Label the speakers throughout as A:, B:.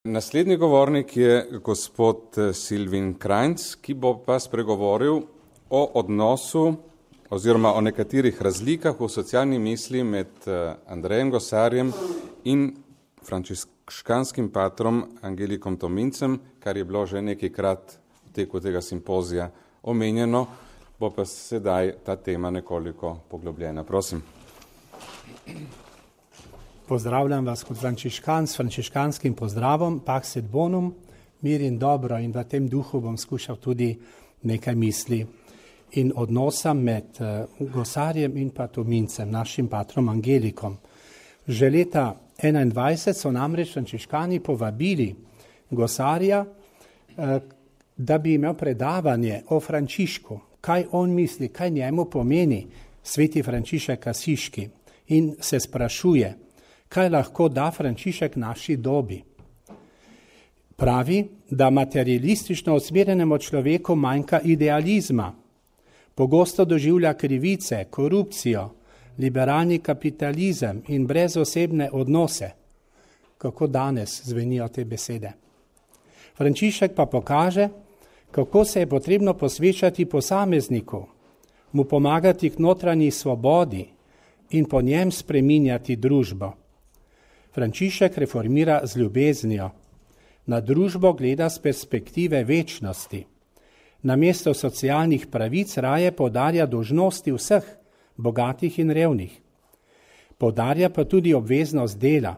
A: Naslednji govornik je gospod Silvin Krajnc, ki bo pa spregovoril o odnosu oziroma o nekaterih razlikah v socialni misli med Andrejem Gosarjem in frančiškanskim patrom Angelikom Tomincem, kar je bilo že nekajkrat v teku tega simpozija omenjeno, bo pa sedaj ta tema nekoliko poglobljena. Prosim.
B: Pozdravljam vas kot frančiškan s frančiškanskim pozdravom, pax et bonum, mir in dobro, in v tem duhu bom skušal tudi nekaj misli in odnosa med Gosarjem in pa Tomincem, našim patrom Angelikom. Že leta 2021 so namreč frančiškani povabili Gosarja, da bi imel predavanje o Frančišku, kaj on misli, kaj njemu pomeni sveti Frančišek Asiški, in se sprašuje, kaj lahko da Frančišek naši dobi. Pravi, da materialistično usmerjenemu človeku manjka idealizma, pogosto doživlja krivice, korupcijo, liberalni kapitalizem in brezosebne odnose. Kako danes zvenijo te besede. Frančišek pa pokaže, kako se je potrebno posvečati posamezniku, mu pomagati k notranji svobodi in po njem spreminjati družbo. Frančišek reformira z ljubeznijo, na družbo gleda z perspektive večnosti. Namesto socialnih pravic raje poudarja dolžnosti vseh, bogatih in revnih. Poudarja pa tudi obveznost dela.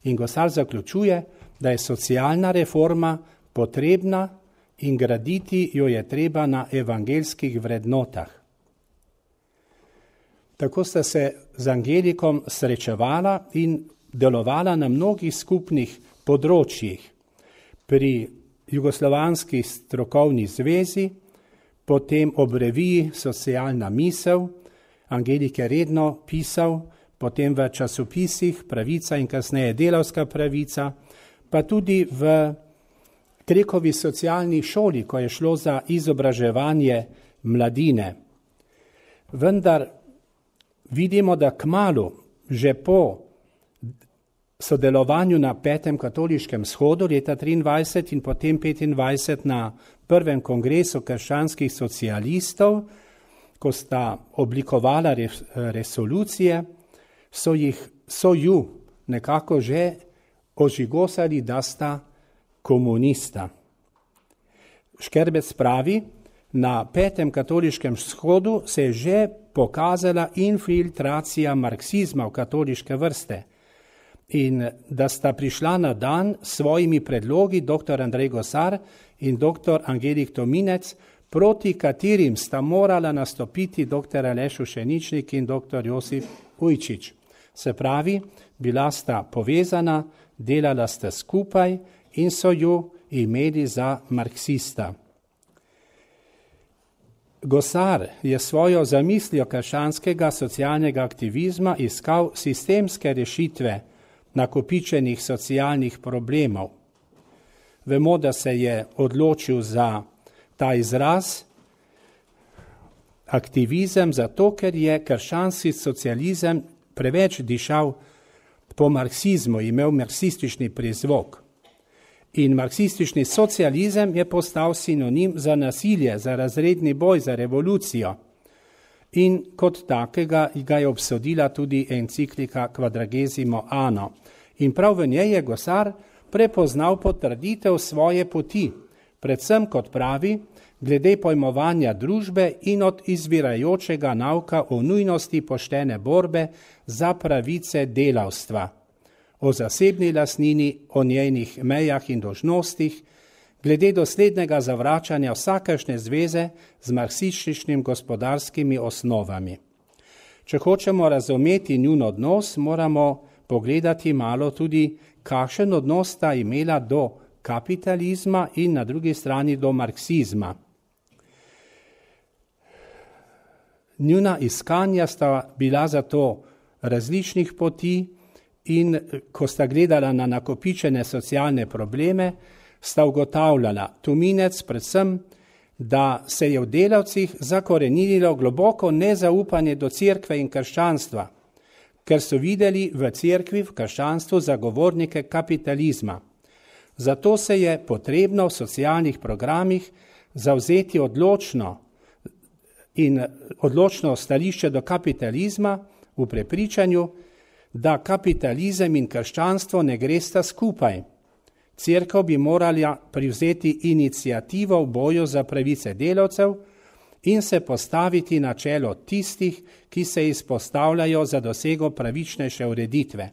B: In Gosar zaključuje, da je socialna reforma potrebna in graditi jo je treba na evangeljskih vrednotah. Tako sta se z Angelikom srečevala in delovala na mnogih skupnih področjih. Pri Jugoslovanski strokovni zvezi, potem ob reviji Socialna misel, Angelik je redno pisal, potem v časopisih Pravica in kasneje Delavska pravica, pa tudi v Krekovi socialni šoli, ko je šlo za izobraževanje mladine. Vendar vidimo, da kmalu, že po sodelovanju na 5. katoliškem shodu leta 23 in potem 25 na prvem kongresu krščanskih socialistov, ko sta oblikovala resolucije, so ju nekako že ožigosali, da sta komunista. Škerbec pravi, na 5. katoliškem shodu se je že pokazala infiltracija marksizma v katoliške vrste, in da sta prišla na dan s svojimi predlogi dr. Andrej Gosar in dr. Angelik Tominec, proti katerim sta morala nastopiti dr. Aleš Ušeničnik in dr. Josip Ujčič. Se pravi, bila sta povezana, delala sta skupaj in so ju imeli za marksista. Gosar je svojo zamislijo krščanskega socialnega aktivizma iskal sistemske rešitve nakopičenih socialnih problemov. Vemo, da se je odločil za ta izraz aktivizem, zato ker je krščanski socializem preveč dišal po marksizmu, imel marksistični prizvok. In marksistični socializem je postal sinonim za nasilje, za razredni boj, za revolucijo. In kot takega ga je obsodila tudi enciklika Quadragesimo Anno. In prav v njej je Gosar prepoznal potrditev svoje poti, predvsem, kot pravi, glede pojmovanja družbe in od izvirajočega nauka o nujnosti poštene borbe za pravice delavstva, o zasebni lastnini, o njenih mejah in dolžnostih, glede doslednega zavračanja vsakršne zveze z marksističnim gospodarskimi osnovami. Če hočemo razumeti njun odnos, moramo pogledati malo tudi, kakšen odnos sta imela do kapitalizma in na drugi strani do marksizma. Njuna iskanja sta bila zato različnih poti in ko sta gledala na nakopičene socialne probleme, sta ugotavljala Tominec predvsem, da se je v delavcih zakorenilo globoko nezaupanje do cerkve in krščanstva, ker so videli v cerkvi, v krščanstvu zagovornike kapitalizma. Zato se je potrebno v socialnih programih zavzeti odločno stališče do kapitalizma v prepričanju, da kapitalizem in krščanstvo ne gresta skupaj. Cerkev bi morala privzeti iniciativo v boju za pravice delavcev in se postaviti na čelo tistih, ki se izpostavljajo za dosego pravičnejše ureditve.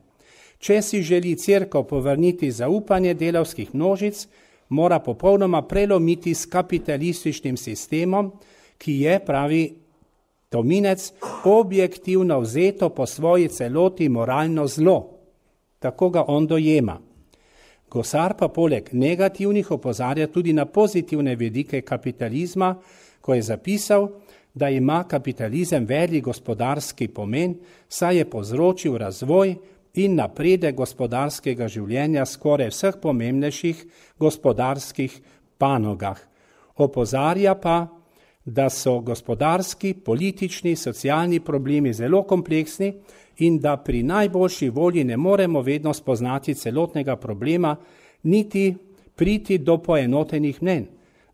B: Če si želi cerkev povrniti zaupanje delavskih množic, mora popolnoma prelomiti s kapitalističnim sistemom, ki je, pravi Tominec, objektivno vzeto po svoji celoti moralno zlo. Tako ga on dojema. Gosar pa poleg negativnih opozarja tudi na pozitivne vidike kapitalizma, ko je zapisal, da ima kapitalizem velik gospodarski pomen, saj je povzročil razvoj in napredek gospodarskega življenja skoraj vseh pomembnejših gospodarskih panogah. Opozarja pa, da so gospodarski, politični, socialni problemi zelo kompleksni in da pri najboljši volji ne moremo vedno spoznati celotnega problema, niti priti do poenotenih mnenj.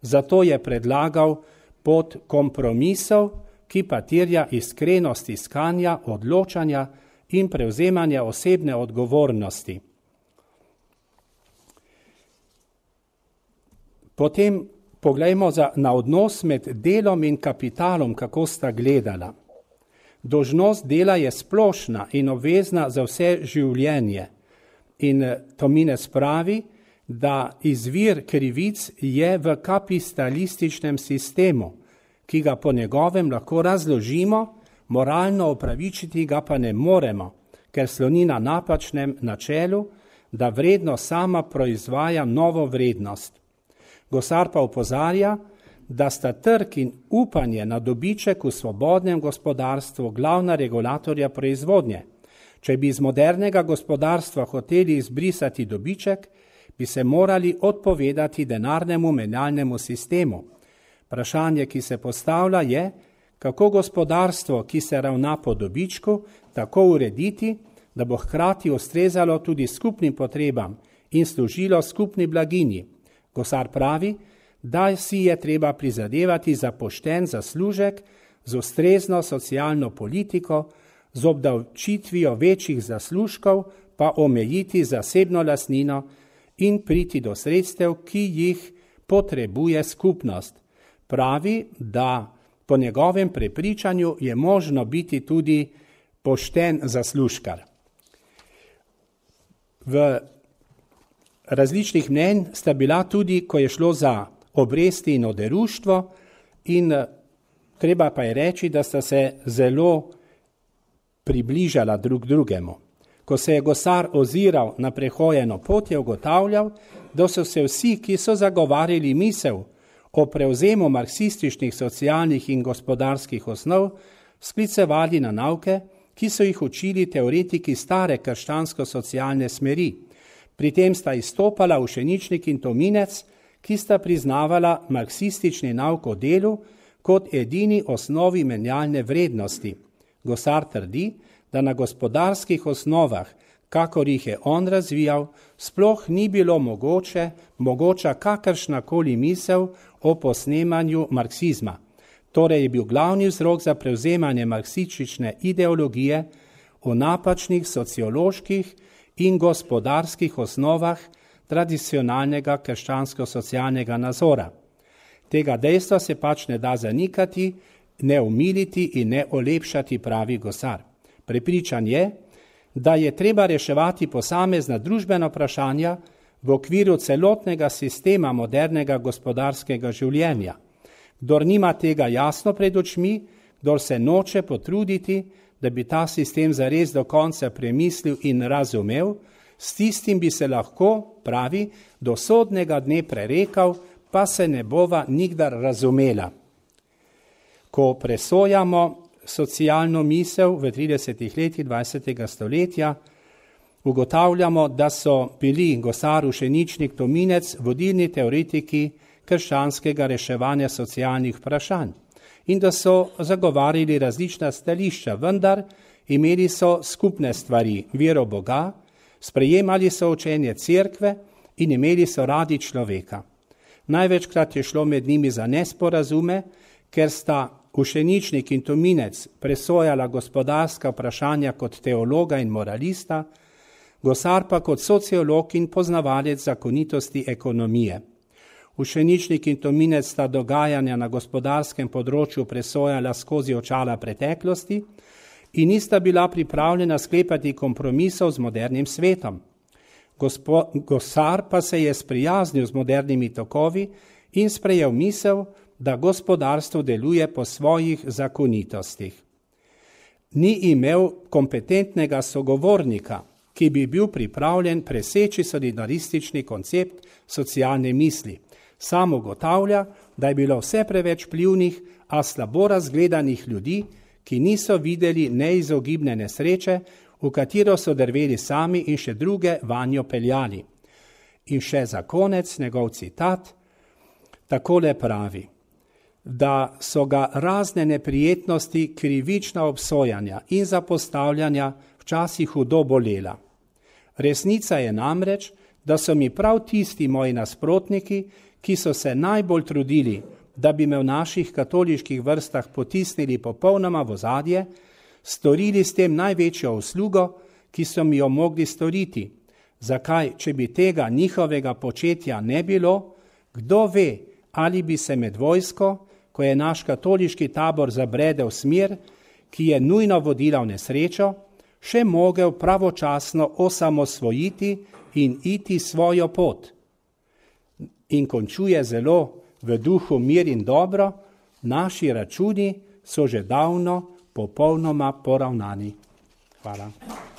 B: Zato je predlagal pot kompromisov, ki pa terja iskrenost iskanja, odločanja in prevzemanja osebne odgovornosti. Potem poglejmo na odnos med delom in kapitalom, kako sta gledala. Dolžnost dela je splošna in obvezna za vse življenje. In Tominec pravi, da izvir krivic je v kapitalističnem sistemu, ki ga po njegovem lahko razložimo, moralno opravičiti ga pa ne moremo, ker sloni na napačnem načelu, da vrednost sama proizvaja novo vrednost. Gosar pa opozarja, da sta trg in upanje na dobiček v svobodnem gospodarstvu glavna regulatorja proizvodnje. Če bi iz modernega gospodarstva hoteli izbrisati dobiček, bi se morali odpovedati denarnemu menjalnemu sistemu. Vprašanje, ki se postavlja, je, kako gospodarstvo, ki se ravna po dobičku, tako urediti, da bo hkrati ustrezalo tudi skupnim potrebam in služilo skupni blaginji. Gosar pravi, da si je treba prizadevati za pošten zaslužek, z ustrezno socialno politiko, z obdavčitvijo večjih zaslužkov, pa omejiti zasebno lastnino in priti do sredstev, ki jih potrebuje skupnost. Pravi, da po njegovem prepričanju je možno biti tudi pošten zaslužkar. V različnih mnenj sta bila tudi, ko je šlo za obresti in oderuštvo, in treba pa je reči, da sta se zelo približala drug drugemu. Ko se je Gosar oziral na prehojeno pot, je ugotavljal, da so se vsi, ki so zagovarjali misel o prevzemu marksističnih, socialnih in gospodarskih osnov, sklicevali na nauke, ki so jih učili teoretiki stare krščansko-socialne smeri. Pri tem sta izstopala Ušeničnik in Tominec, ki sta priznavala marksistični nauk o delu kot edini osnovi menjalne vrednosti. Gosar trdi, da na gospodarskih osnovah, kakor jih je on razvijal, sploh ni bilo mogoča kakršnakoli misel o posnemanju marksizma. Torej je bil glavni vzrok za prevzemanje marksistične ideologije v napačnih socioloških in gospodarskih osnovah tradicionalnega krščansko-socialnega nazora. Tega dejstva se pač ne da zanikati, ne umiliti in ne olepšati, pravi Gosar. Prepričan je, da je treba reševati posamezna družbena vprašanja v okviru celotnega sistema modernega gospodarskega življenja. Kdor nima tega jasno pred očmi, kdor se noče potruditi, da bi ta sistem zares do konca premislil in razumel, s tistim bi se lahko, pravi, do sodnega dne prerekal, pa se ne bova nikdar razumela. Ko presojamo socialno misel v 30 letih 20. stoletja, ugotavljamo, da so bili Gosar, Ušeničnik, Tominec vodilni teoretiki krščanskega reševanja socialnih vprašanj in da so zagovarjali različna stališča, vendar imeli so skupne stvari, vero Boga, sprejemali so učenje cerkve in imeli so radi človeka. Največkrat je šlo med njimi za nesporazume, ker sta Ušeničnik in Tominec presojala gospodarska vprašanja kot teologa in moralista, Gosar pa kot sociolog in poznavalec zakonitosti ekonomije. Ušeničnik in Tominec sta dogajanja na gospodarskem področju presojala skozi očala preteklosti in nista bila pripravljena sklepati kompromisov z modernim svetom. Gosar pa se je sprijaznil z modernimi tokovi in sprejel misel, da gospodarstvo deluje po svojih zakonitostih. Ni imel kompetentnega sogovornika, ki bi bil pripravljen preseči solidaristični koncept socialne misli. Sam ugotavlja, da je bilo vse preveč vplivnih, a slabo razgledanih ljudi, ki niso videli neizogibne nesreče, v katero so drveli sami in še druge vanjo peljali. In še za konec njegov citat, takole pravi, da so ga razne neprijetnosti, krivična obsojanja in zapostavljanja včasih hudo bolela. Resnica je namreč, da so mi prav tisti moji nasprotniki, ki so se najbolj trudili, da bi me v naših katoliških vrstah potisnili popolnoma v ozadje, storili s tem največjo uslugo, ki so mi jo mogli storiti. Zakaj, če bi tega njihovega početja ne bilo, kdo ve, ali bi se med vojsko, ko je naš katoliški tabor zabredel smer, ki je nujno vodila v nesrečo, še mogel pravočasno osamosvojiti in iti svojo pot. In končuje zelo v duhu mir in dobro, naši računi so že davno popolnoma poravnani. Hvala.